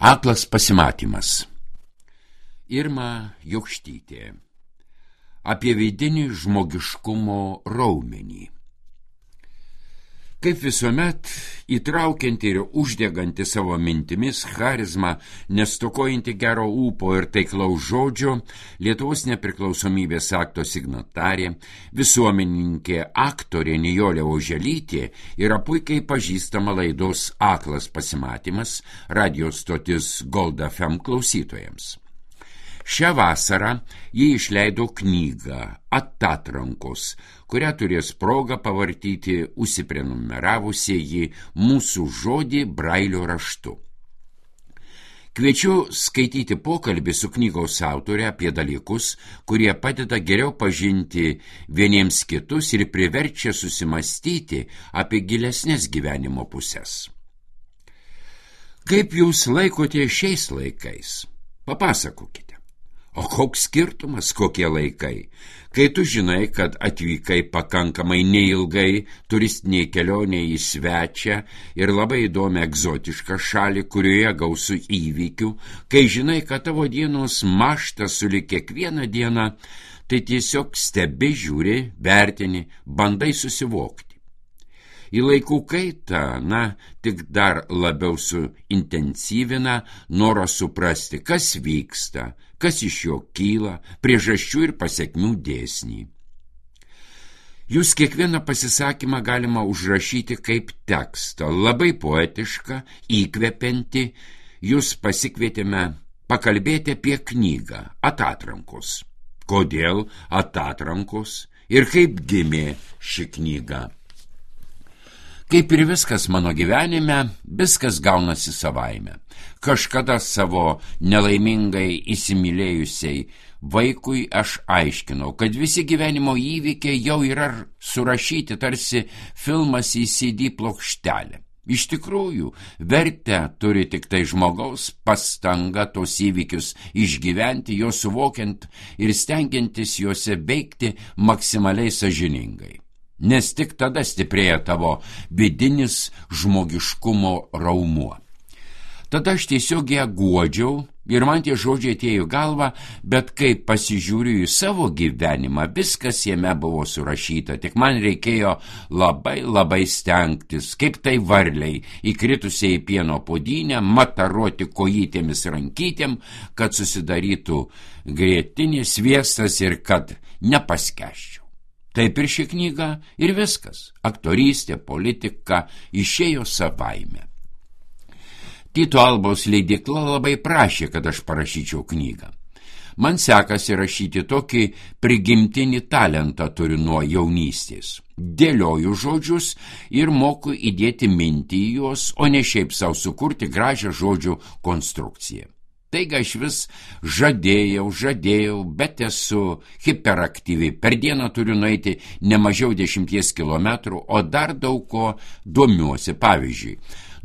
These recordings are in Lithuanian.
Aklas pasimatymas. Irma Jokštytė. Apie vidinį žmogiškumo raumenį. Kaip visuomet, įtraukianti ir uždeganti savo mintimis charizmą, nestokojanti gero ūpo ir taiklaus žodžio, Lietuvos nepriklausomybės akto signatarė, visuomenininkė aktorė Nijolė Oželytė yra puikiai pažįstama laidos Aklas pasimatymas radijo stotis Gold FM klausytojams. Šią vasarą jie išleido knygą Atatrankos, kurią turės progą pavartyti užsiprenumeravusieji Mūsų žodį brailio raštu. Kviečiu skaityti pokalbį su knygos autorė apie dalykus, kurie padeda geriau pažinti vieniems kitus ir priverčia susimastyti apie gilesnės gyvenimo pusės. Kaip jūs laikote šiais laikais? Papasakokite. O koks skirtumas, kokie laikai? Kai tu žinai, kad atvykai pakankamai neilgai turistiniai kelioniai į svečią ir labai įdomią egzotišką šalį, kurioje gausu įvykių, kai žinai, kad tavo dienos mąšta sulig kiekvieną dieną, tai tiesiog stebi, žiūri, vertini, bandai susivokti. Į laikų kaitą, tik dar labiau suintensyvina norą suprasti, kas vyksta, kas iš jo kyla, priežasčių ir pasekmių dėsnį. Jūs kiekvieną pasisakymą galima užrašyti kaip tekstą, labai poetišką, įkvepiantį. Jūs pasikvietėme pakalbėti apie knygą Atatrankos. Kodėl Atatrankos ir kaip gimė ši knyga? Kaip ir viskas mano gyvenime, viskas gaunasi savaime. Kažkada savo nelaimingai įsimylėjusiai vaikui aš aiškinau, kad visi gyvenimo įvykiai jau yra surašyti tarsi filmas į CD plokštelę. Iš tikrųjų, vertę turi tik tai žmogaus pastanga tos įvykius išgyventi, juos suvokiant ir stengiantis juose veikti maksimaliai sąžiningai. Nes tik tada stiprėja tavo vidinis žmogiškumo raumuo. Tada aš tiesiog ją guodžiau ir man tie žodžiai atėjo į galvą, bet kai pasižiūriu į savo gyvenimą, viskas jame buvo surašyta, tik man reikėjo labai stengtis, kaip tai varliai, įkritusiai į pieno puodynę, mataruoti kojytėmis rankytėm, kad susidarytų grietinė, sviestas ir kad nepaskęsčiau. Taip ir ši knyga ir viskas. Aktorystė, politika išėjo savaime. Tyto Albos leidykla labai prašė, kad aš parašyčiau knygą. Man sekasi rašyti tokį prigimtinį talentą turiu nuo jaunystės. Dėlioju žodžius ir moku įdėti mintį į juos, o ne šiaip savo sukurti gražią žodžių konstrukciją. Taigi aš vis žadėjau, bet esu hiperaktyvi. Per dieną turiu nueiti ne mažiau 10 kilometrų, o dar daug ko domiuosi. Pavyzdžiui,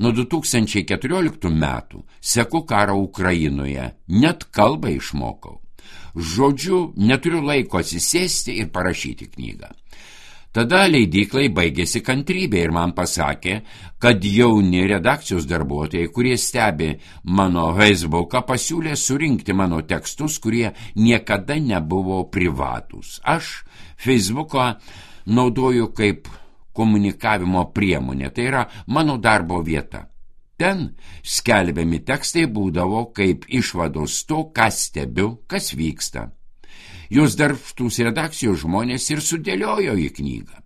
nuo 2014 metų seku karą Ukrainoje, net kalbą išmokau. Žodžiu, neturiu laiko atsisėsti ir parašyti knygą. Tada leidyklai baigėsi kantrybė ir man pasakė, kad jauni redakcijos darbuotojai, kurie stebi mano Facebooką, pasiūlė surinkti mano tekstus, kurie niekada nebuvo privatūs. Aš Facebooką naudoju kaip komunikavimo priemonė, tai yra mano darbo vieta. Ten skelbiami tekstai būdavo kaip išvados to, ką stebiu, kas vyksta. Jos darbštūs redakcijos žmonės ir sudėliojo į knygą.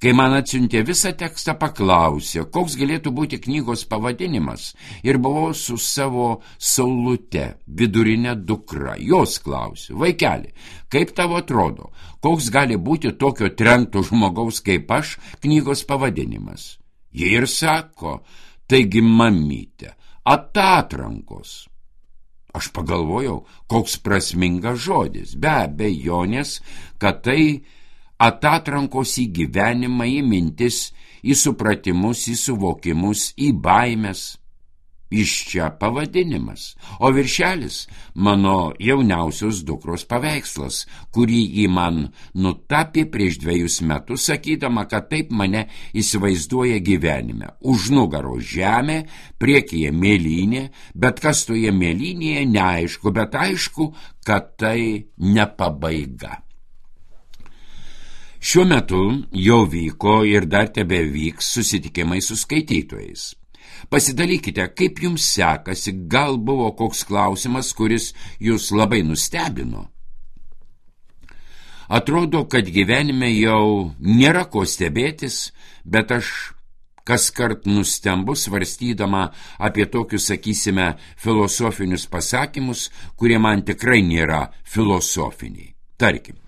Kai man atsiuntė visą tekstą, paklausė, koks galėtų būti knygos pavadinimas, ir buvau su savo saulute, vidurinė dukra. Jos klausė, vaikeli, kaip tavo atrodo, koks gali būti tokio trenkto žmogaus kaip aš knygos pavadinimas? Jie ir sako, taigi mamytė, Atatrankos. Aš pagalvojau, koks prasmingas žodis, be abejonės, kad tai atatrankos į gyvenimą, į mintis, į supratimus, į suvokimus, į baimes. Iš čia pavadinimas, o viršelis mano jauniausios dukros paveikslas, kurį ji man nutapė prieš 2 metus, sakydama, kad taip mane įsivaizduoja gyvenime. Už nugaro žemė, priekyje mėlynė, bet kas toje mėlynėje neaišku, bet aišku, kad tai ne pabaiga. Šiuo metu jau vyko ir dar tebevyks susitikimai su skaitytojais. Pasidalykite, kaip jums sekasi, gal buvo koks klausimas, kuris jūs labai nustebino. Atrodo, kad gyvenime jau nėra ko stebėtis, bet aš kaskart nustembu svarstydama apie tokius, sakysime, filosofinius pasakymus, kurie man tikrai nėra filosofiniai. Tarkim,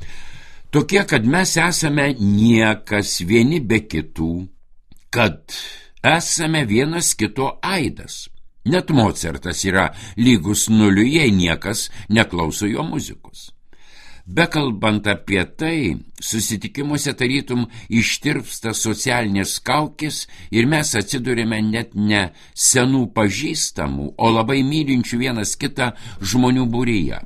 tokie, kad mes esame niekas vieni be kitų, kad esame vienas kito aidas. Net Mocartas yra lygus nuliui, jei niekas neklauso jo muzikos. Bekalbant apie tai, susitikimuose tarytum ištirpsta socialinės kaukės ir mes atsidurėme net ne senų pažįstamų, o labai mylinčių vienas kitą žmonių būryje.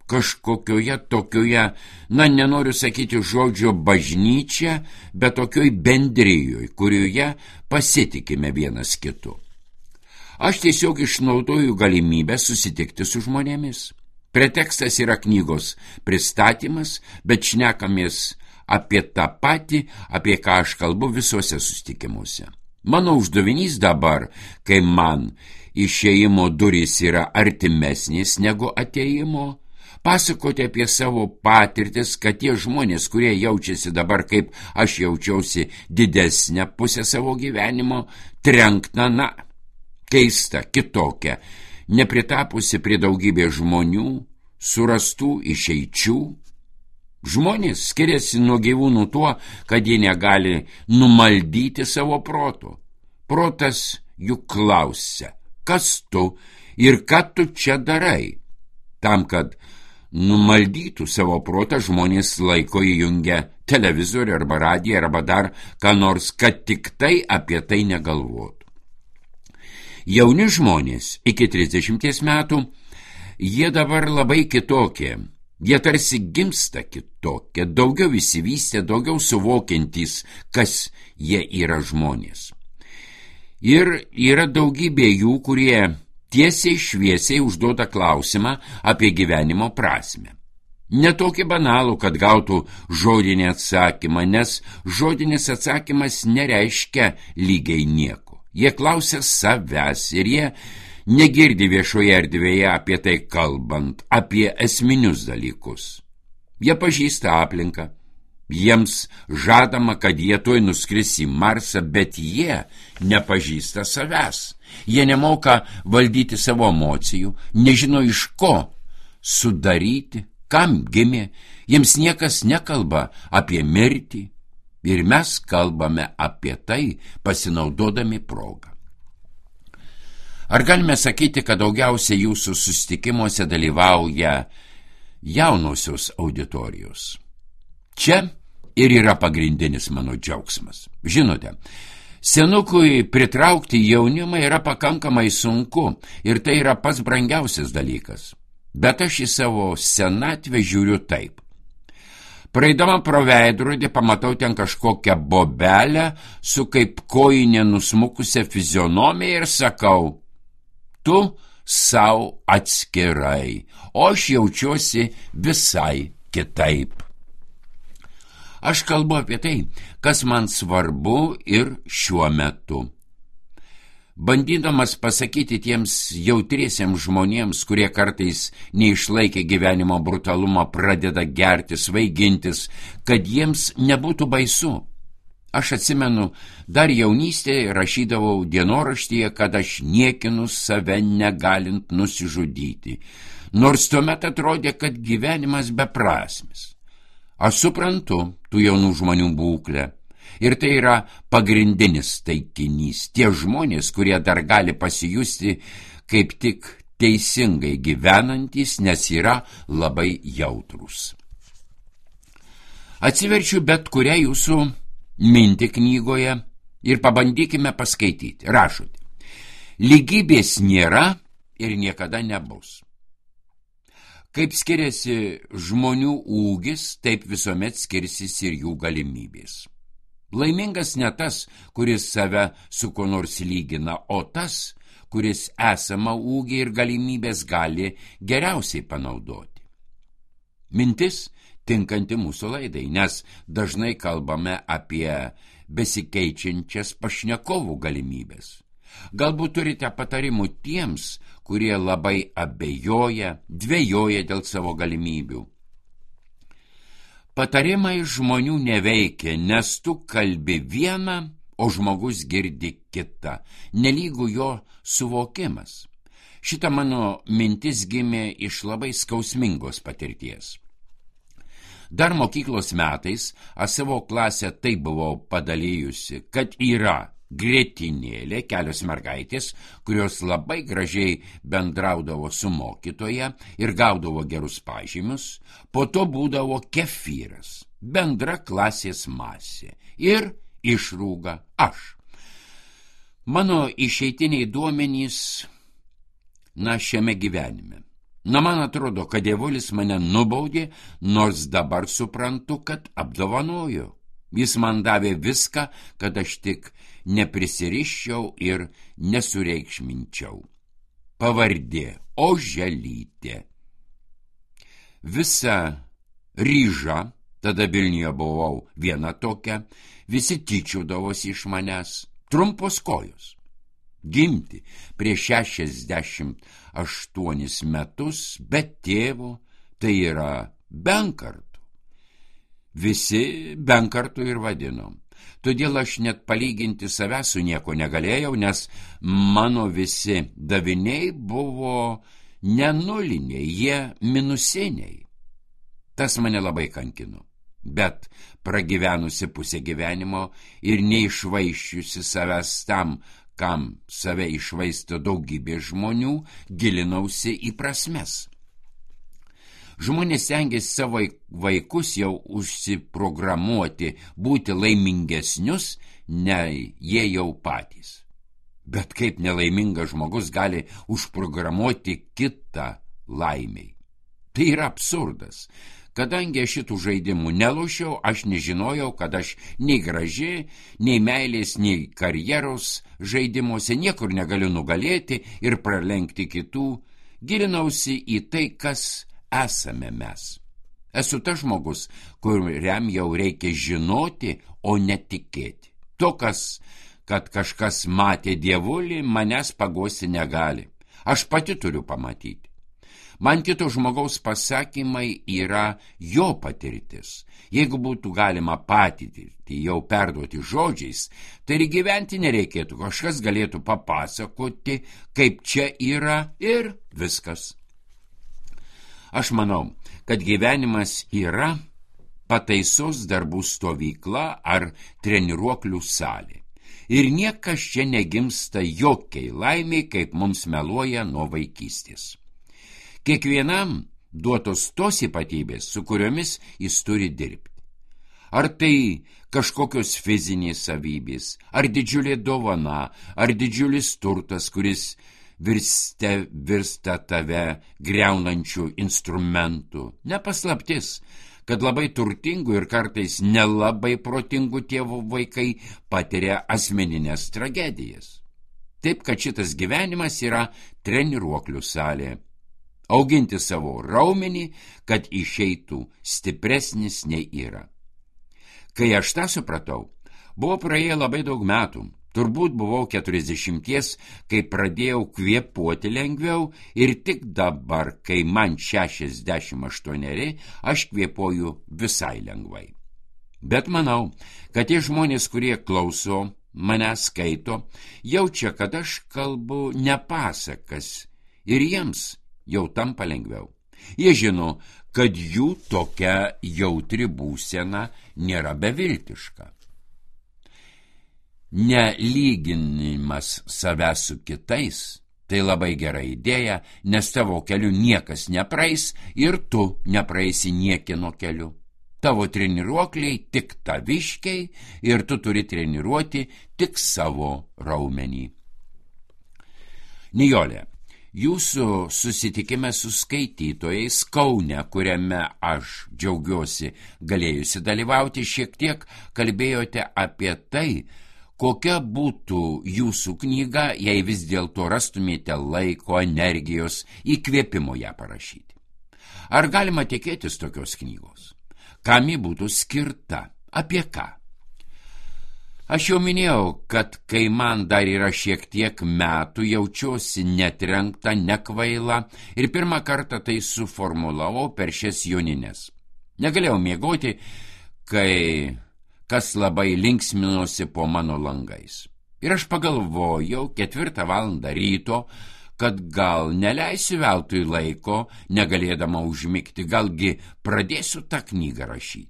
Kažkokioje tokioje, nenoriu sakyti žodžio bažnyčia, bet tokioj bendrijoje, kurioje pasitikime vienas kitu. Aš tiesiog išnaudoju galimybę susitikti su žmonėmis. Pretekstas yra knygos pristatymas, bet šnekamės apie tą patį, apie ką aš kalbu visuose susitikimuose. Mano uždavinys dabar, kai man išėjimo durys yra artimesnės negu atėjimo, pasakoti apie savo patirtis, kad tie žmonės, kurie jaučiasi dabar, kaip aš jaučiausi didesnę pusę savo gyvenimo, trenkna, keista, kitokia, nepritapusi prie daugybės žmonių, surastų išeičių. Žmonės skiriasi nuo gyvūnų tuo, kad jie negali numaldyti savo proto. Protas juk klausia, kas tu ir ką tu čia darai. Tam, kad numaldytų savo protą, žmonės laiko įjungia televizorių arba radiją arba dar ką nors, kad tik tai apie tai negalvotų. Jauni žmonės iki 30 metų, jie dabar labai kitokie, jie tarsi gimsta kitokie, daugiau įsivystę, daugiau suvokiantys, kas jie yra žmonės. Ir yra daugybė jų, kurie tiesiai šviesiai užduoda klausimą apie gyvenimo prasmę. Ne tokį banalų, kad gautų žodinį atsakymą, nes žodinis atsakymas nereiškia lygiai nieko. Jie klausia savęs ir jie negirdi viešoje erdvėje apie tai kalbant, apie esminius dalykus. Jie pažįsta aplinką. Jiems žadama, kad jie tuoj nuskris į Marsą, bet jie nepažįsta savęs. Jie nemoka valdyti savo emocijų, nežino iš ko sudaryti, kam gimė, jiems niekas nekalba apie mirtį ir mes kalbame apie tai, pasinaudodami progą. Ar galime sakyti, kad daugiausiai jūsų susitikimuose dalyvauja jaunosios auditorijos? Čia ir yra pagrindinis mano džiaugsmas. Žinote, senukui pritraukti jaunimą yra pakankamai sunku ir tai yra pats brangiausias dalykas. Bet aš į savo senatvę žiūriu taip. Praeidama pro veidrodį pamatau ten kažkokią bobelę su kaip kojinė nusmukusią fizionomiją ir sakau, tu sau atskirai, o aš jaučiuosi visai kitaip. Aš kalbu apie tai, kas man svarbu ir šiuo metu. Bandydamas pasakyti tiems jautriesiems žmonėms, kurie kartais neišlaikė gyvenimo brutalumą, pradeda gerti, svaigintis, kad jiems nebūtų baisu. Aš atsimenu, dar jaunystėje rašydavau dienoraštyje, kad aš niekinu save negalint nusižudyti, nors tuomet atrodė, kad gyvenimas beprasmis. Aš suprantu tų jaunų žmonių būklę ir tai yra pagrindinis taikinys. Tie žmonės, kurie dar gali pasijusti kaip tik teisingai gyvenantys, nes yra labai jautrūs. Atsiverčiu bet kurią jūsų mintį knygoje ir pabandykime paskaityti. Rašote. Lygybės nėra ir niekada nebus. Kaip skiriasi žmonių ūgis, taip visuomet skirsis ir jų galimybės. Laimingas ne tas, kuris save su kuo nors lygina, o tas, kuris esamą ūgį ir galimybės gali geriausiai panaudoti. Mintis tinkanti mūsų laidai, nes dažnai kalbame apie besikeičiančias pašnekovų galimybės. Galbūt turite patarimų tiems, kurie labai abejoja, dvejoja dėl savo galimybių. Patarimai žmonių neveikia, nes tu kalbi vieną, o žmogus girdi kitą, nelygu jo suvokimas. Šita mano mintis gimė iš labai skausmingos patirties. Dar mokyklos metais aš savo klasę taip buvau padalijusi, kad yra grietinėlė, kelios mergaitės, kurios labai gražiai bendraudavo su mokytoja ir gaudavo gerus pažymius, po to būdavo kefyras, bendra klasės masė ir išrūga aš. Mano išeitiniai duomenys, šiame gyvenime. Man atrodo, kad dievulis mane nubaudė, nors dabar suprantu, kad apdovanojo. Jis man davė viską, kad aš tik neprisiriščiau ir nesureikšminčiau. Pavardė Oželytė. Visa ryža, tada Vilniuje buvau viena tokia, visi tyčiodavosi iš manęs, trumpos kojos. Gimti prieš 68 metus, bet tėvo, tai yra benkartų. Visi benkartų ir vadinom. Todėl aš net palyginti save su nieko negalėjau, nes mano visi daviniai buvo ne nuliniai, jie minusiniai. Tas mane labai kankino. Bet pragyvenusi pusę gyvenimo ir neišvaiščiusi savęs tam, kam save išvaisto daugybė žmonių, gilinausi į prasmes. Žmonės stengiasi savo vaikus jau užsiprogramuoti būti laimingesnius, nei jie jau patys. Bet kaip nelaimingas žmogus gali užprogramuoti kitą laimiai? Tai yra absurdas. Kadangi aš šitų žaidimų nelošiau, aš nežinojau, kad aš nei graži, nei meilės, nei karjeros žaidimuose niekur negaliu nugalėti ir pralenkti kitų. Gilinausi į tai, kas esame mes. Esu tas žmogus, kuriam jau reikia žinoti, o netikėti. Tokas, kad kažkas matė dievulį, manęs paguosti negali. Aš pati turiu pamatyti. Man kito žmogaus pasakymai yra jo patirtis. Jeigu būtų galima patirtį jau perduoti žodžiais, tai ir gyventi nereikėtų. Kažkas galėtų papasakoti, kaip čia yra ir viskas. Aš manau, kad gyvenimas yra pataisos darbų stovykla ar treniruoklių salė. Ir niekas čia negimsta jokiai laimiai, kaip mums meluoja nuo vaikystės. Kiekvienam duotos tos ypatybės, su kuriomis jis turi dirbti. Ar tai kažkokios fizinės savybės, ar didžiulė dovana, ar didžiulis turtas, kuris virsta tave griaunančių instrumentų. Nepaslaptis, kad labai turtingų ir kartais nelabai protingų tėvų vaikai patiria asmeninės tragedijas. Taip, kad šitas gyvenimas yra treniruoklių salė. Auginti savo raumenį, kad išeitų stipresnis nei yra. Kai aš tą supratau, buvo praėję labai daug metų. Turbūt buvau 40, kai pradėjau kvėpuoti lengviau ir tik dabar, kai man 68, aš kvėpuoju visai lengvai. Bet manau, kad tie žmonės, kurie klauso, mane skaito, jaučia, kad aš kalbu ne pasakas ir jiems jau tampa lengviau. Jie žino, kad jų tokia jautri būsena nėra beviltiška. Nelyginimas savęs su kitais – tai labai gera idėja, nes tavo keliu niekas nepraeis ir tu nepraeisi niekino keliu. Tavo treniruokliai tik taviškiai ir tu turi treniruoti tik savo raumenį. Nijolė, jūsų susitikime su skaitytojais Kaune, kuriame aš džiaugiuosi galėjusi dalyvauti, šiek tiek kalbėjote apie tai, kokia būtų jūsų knyga, jei vis dėlto rastumėte laiko, energijos, įkvėpimo ją parašyti. Ar galima tikėtis tokios knygos? Kam ji būtų skirta? Apie ką? Aš jau minėjau, kad kai man dar yra šiek tiek metų, jaučiuosi netrenkta, nekvaila ir pirmą kartą tai suformulavau per šias jonines. Negalėjau miegoti, kai kas labai linksminosi po mano langais. Ir aš pagalvojau 4 valandą ryto, kad gal neleisiu veltui laiko, negalėdama užmigti, galgi pradėsiu tą knygą rašyti.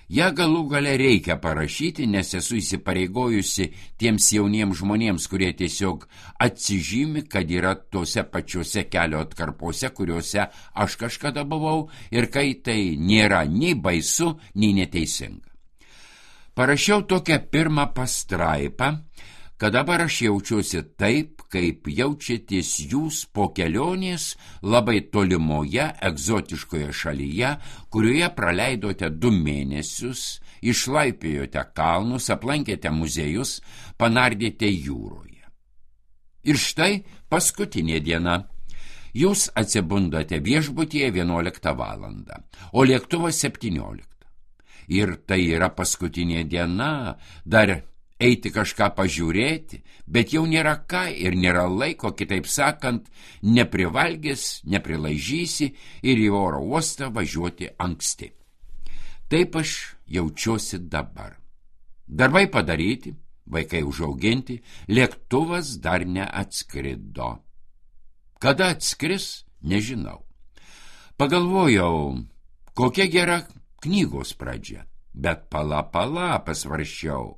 Ja galų gale reikia parašyti, nes esu įsipareigojusi tiems jauniems žmonėms, kurie tiesiog atsižymi, kad yra tose pačiose kelio atkarpose, kuriuose aš kažkada buvau ir kai tai nėra nei baisu, nei neteisinga. Parašiau tokią pirmą pastraipą, kad dabar aš jaučiuosi taip, kaip jaučiatės jūs po kelionės labai tolimoje, egzotiškoje šalyje, kurioje praleidote 2 mėnesius, išlaipėjote kalnus, aplankėte muziejus, panardėte jūroje. Ir štai paskutinė diena. Jūs atsibundate viešbutyje 11 valandą, o lėktuvas 17. Ir tai yra paskutinė diena, dar eiti kažką pažiūrėti, bet jau nėra ką ir nėra laiko, kitaip sakant, neprivalgys, neprilaižysi ir į oro uostą važiuoti anksti. Taip aš jaučiuosi dabar. Darbai padaryti, vaikai užauginti, lėktuvas dar neatskrido. Kada atskris, nežinau. Pagalvojau, kokia gera knygos pradžia, bet pala, pasvarščiau.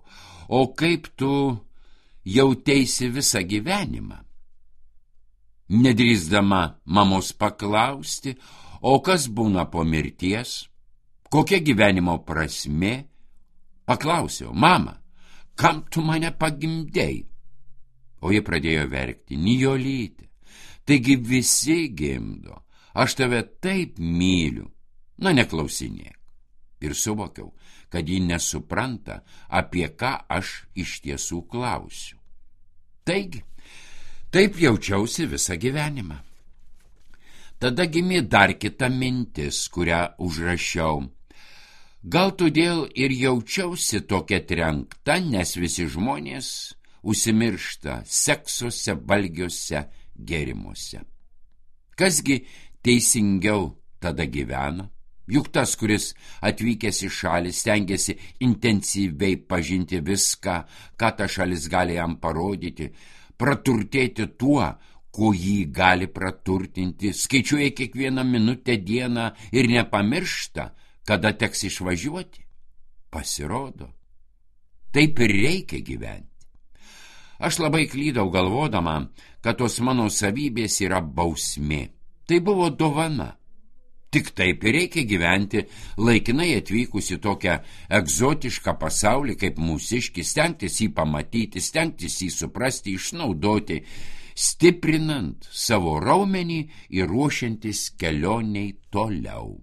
O kaip tu jauteisi visą gyvenimą? Nedrįsdama mamos paklausti, o kas būna po mirties? Kokia gyvenimo prasmė? Paklausiau, mama, kam tu mane pagimdei? O ji pradėjo verkti, Nijolyte, taigi visi gimdo, aš tave taip myliu, na neklausinėk. Ir suvokiau, kad ji nesupranta, apie ką aš iš tiesų klausiu. Taigi, taip jaučiausi visą gyvenimą. Tada gimė dar kita mintis, kurią užrašiau. Gal todėl ir jaučiausi tokia trenkta, nes visi žmonės užsimiršta seksuose, valgiuose, gėrimuose. Kasgi teisingiau tada gyvena? Juk tas, kuris atvykęs į šalį, stengiasi intensyviai pažinti viską, ką ta šalis gali jam parodyti, praturtėti tuo, ko jį gali praturtinti, skaičiuoja kiekvieną minutę dieną ir nepamiršta, kada teks išvažiuoti. Pasirodo, taip ir reikia gyventi. Aš labai klydau galvodama, kad tos mano savybės yra bausmė. Tai buvo dovana. Tik taip ir reikia gyventi, laikinai atvykus į tokią egzotišką pasaulį kaip mūsiškis, stengtis jį pamatyti, stengtis jį suprasti, išnaudoti, stiprinant savo raumenį ir ruošiantis kelioniai toliau.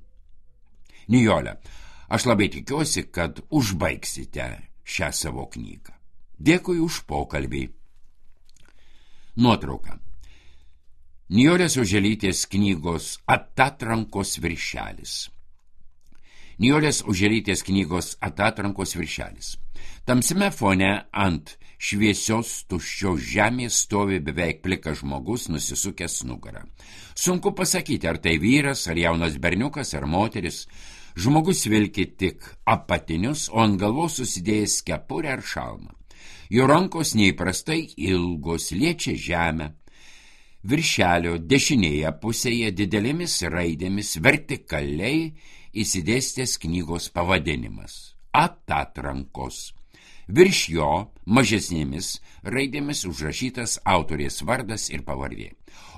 Nijole, aš labai tikiuosi, kad užbaigsite šią savo knygą. Dėkui už pokalbį. Nuotrauka. Nijolės Oželytės knygos Atatrankos viršelis. Nijolės Oželytės knygos Atatrankos viršelis. Tamsiame fone ant šviesios tuščios žemės stovi beveik plikas žmogus nusisukęs nugarą. Sunku pasakyti, ar tai vyras, ar jaunas berniukas, ar moteris. Žmogus vilki tik apatinius, o ant galvos susidėjęs kepurę ar šalmą. Jo rankos neįprastai ilgos, liečia žemę. Viršelio dešinėje pusėje didelėmis raidėmis vertikaliai įsidėstęs knygos pavadinimas – Atatrankos. Virš jo mažesnėmis raidėmis užrašytas autorės vardas ir pavardė.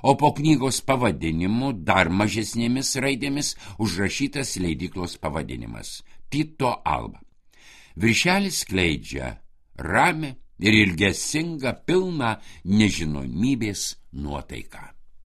O po knygos pavadinimu dar mažesnėmis raidėmis užrašytas leidyklos pavadinimas – Tito Alba. Viršelis skleidžia ramią, ir ilgesingą pilną nežinomybės nuotaiką.